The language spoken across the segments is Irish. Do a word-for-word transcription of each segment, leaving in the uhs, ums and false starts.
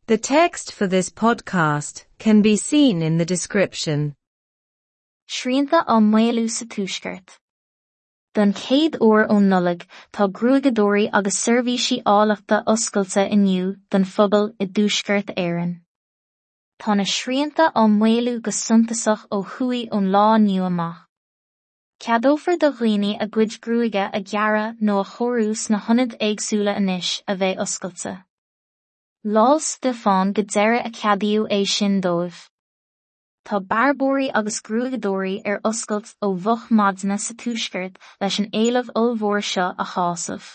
The text for this podcast can be seen in the description. Srianta á maolú sa Tuaisceart. Don chéad uair ón Nollaig, tá gruaigeadóirí agus seirbhísí áilleachta oscailte inniu don phobal i dTuaisceart Éireann. Tá na srianta á maolú go suntasach ó thuaidh ón lá inniu amach. Ceadófar do dhaoine a gcuid gruaige a ghearradh nó a chóiriú sna hionaid éagsúla anois a bheidh oscailte. Lá 'le Stiofáin go deireadh a ceadaíodh é sin dóibh. Tá bearbóirí agus gruaigeadóirí ar oscailt ó mhoch maidine sa Tuaisceart leis an éileamh ollmhór seo a shásamh.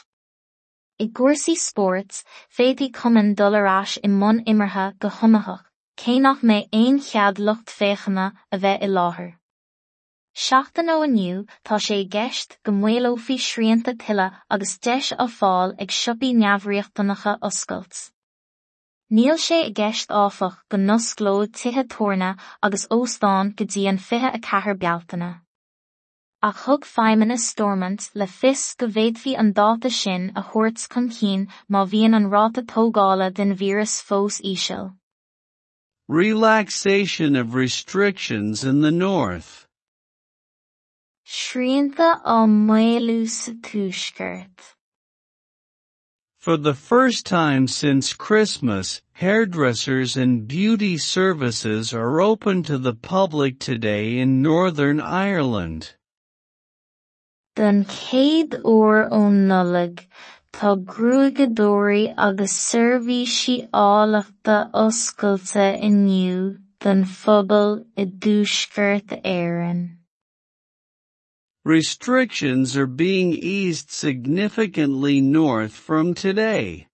I gcúrsaí spóirt, féadfaidh cumainn dul ar ais i mbun imeartha go hiomaitheach, cé nach mbeidh aon chead lucht féachana a bheith i láthair. Seachtain ó inniu tá sé i gceist go maolófaí srianta tuilleadh agus deis á fáil ag siopaí neamhriachtanacha oscailt. Níl sé i gceist áfach go n-osclódh tithe tabhairne agus óstáin go dtí an fiche a ceathair Bealtaine. Ach thug Feidhmeannas Stormont le fios go bhféadfaí an dáta sin a thabhairt chun cinn má bhíonn an ráta tógála den víreas fós íseal. Relaxation of restrictions in the north. Srianta á maolú sa Tuaisceart. For the first time since Christmas, hairdressers and beauty services are open to the public today in Northern Ireland. Don chéad uair ón Nollaig, tá gruaigeadóirí agus seirbhísí áilleachta oscailte inniu don phobal i dTuaisceart Éireann. Restrictions are being eased significantly north from today.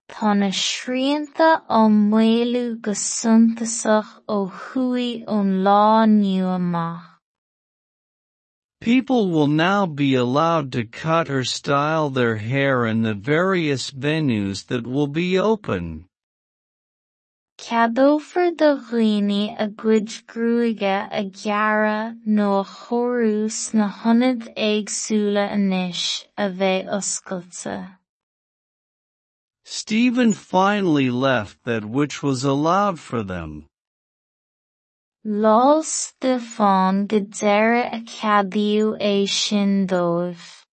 Tá na srianta á maolú go suntasach ó thuaidh ón lá inniu amach. People will now be allowed to cut or style their hair in the various venues that will be open. Ceadófar do dhaoine a gcuid gruaige a ghearradh nó a chóiriú sna hionaid éagsúla anois a bheidh oscailte. Stephen finally left that which was allowed for them. Lá 'le Stiofáin go deireadh a ceadaíodh é sin dóibh.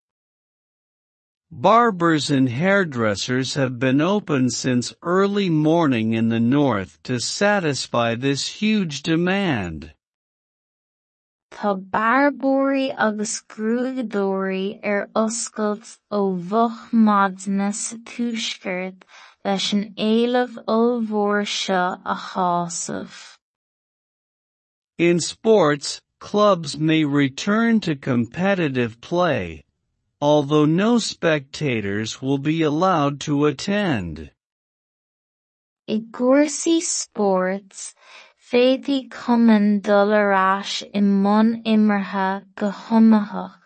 Barbers and hairdressers have been open since early morning in the north to satisfy this huge demand. Tá bearbóirí agus gruaigeadóirí ar oscailt ó mhoch maidine sa Tuaisceart leis an éileamh ollmhór seo a shásamh. In sports, clubs may return to competitive play, although no spectators will be allowed to attend. I gcúrsaí spóirt, féadfaidh cumainn dul ar ais i mbun imeartha go hiomaitheach,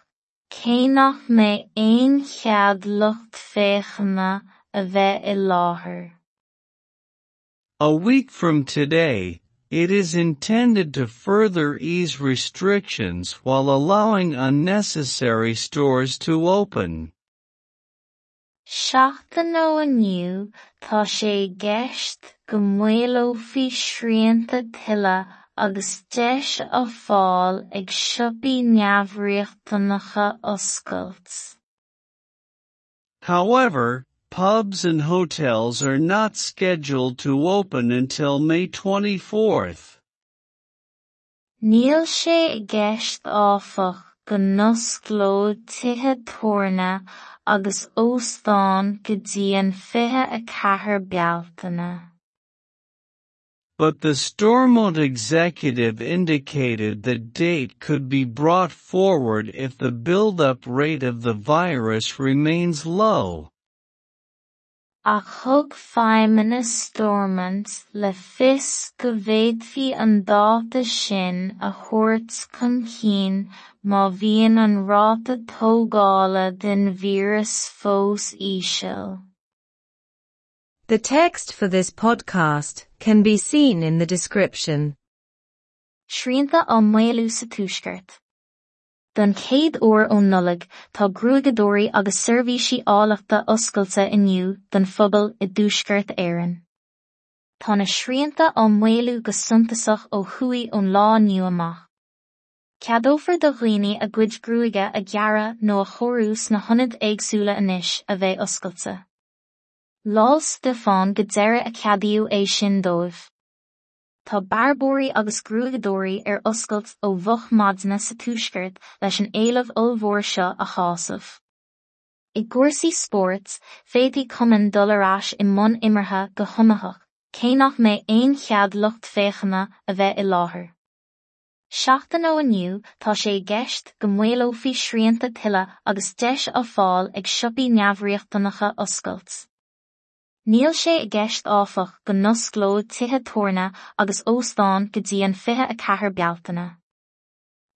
cé nach mbeidh aon chead lucht féachana a bheith i láthair. A week from today, it is intended to further ease restrictions while allowing unnecessary stores to open. Seachtain ó inniu tá sé i gceist go maolófaí srianta tuilleadh agus deis á fáil ag siopaí neamhriachtanacha oscailt. However, pubs and hotels are not scheduled to open until May twenty-fourth. Níl sé i gceist áfach go n-osclódh tithe tabhairne agus óstáin go dtí an fiche a ceathair Bealtaine. But the Stormont executive indicated that date could be brought forward if the build-up rate of the virus remains low. Ach thug Feidhmeannas Stormont le fios go bhféadfaí an dáta sin a thabhairt chun cinn má bhíonn an ráta tógála den víreas fós íseal. The text for this podcast can be seen in the description. Srianta á maolú sa Tuaisceart. Don chéad uair ón Nollaig, tá gruaigeadóirí agus seirbhísí áilleachta oscailte inniu don phobal i dTuaisceart Éireann. Tá na srianta á maolú go suntasach ó thuaidh ón lá inniu amach. Ceadófar do dhaoine a gcuid gruaige a ghearradh nó a chóiriú sna hionaid éagsúla anois a bheidh oscailte. Lá 'le Stiofáin go deireadh a ceadaíodh é sin dóibh. Tá bearbóirí agus gruaigeadóirí ar oscailt ó mhoch maidine sa tuaisceart leis an éileamh ollmhór seo a shásamh. I gcúrsaí spóirt, féadfaidh cumainn dul ar ais i mbun imeartha go hiomaitheach, cé nach mbeidh aon chead lucht féachana a bheith i láthair. Seachtain ó inniu tá sé i gceist go maolófaí srianta tuilleadh agus deis á fáil ag siopaí neamhriachtanacha oscailt. Níl sé i gceist áfach go n-osclódh tithe tabhairne agus óstáin go dtí an fiche a ceathair Bealtaine.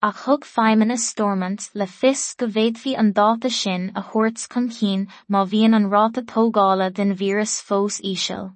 Ach thug Feidhmeannas Stormont le fios go bhféadfaí an dáta sin a thabhairt chun cinn má bhíonn an ráta tógála den víreas fós íseal.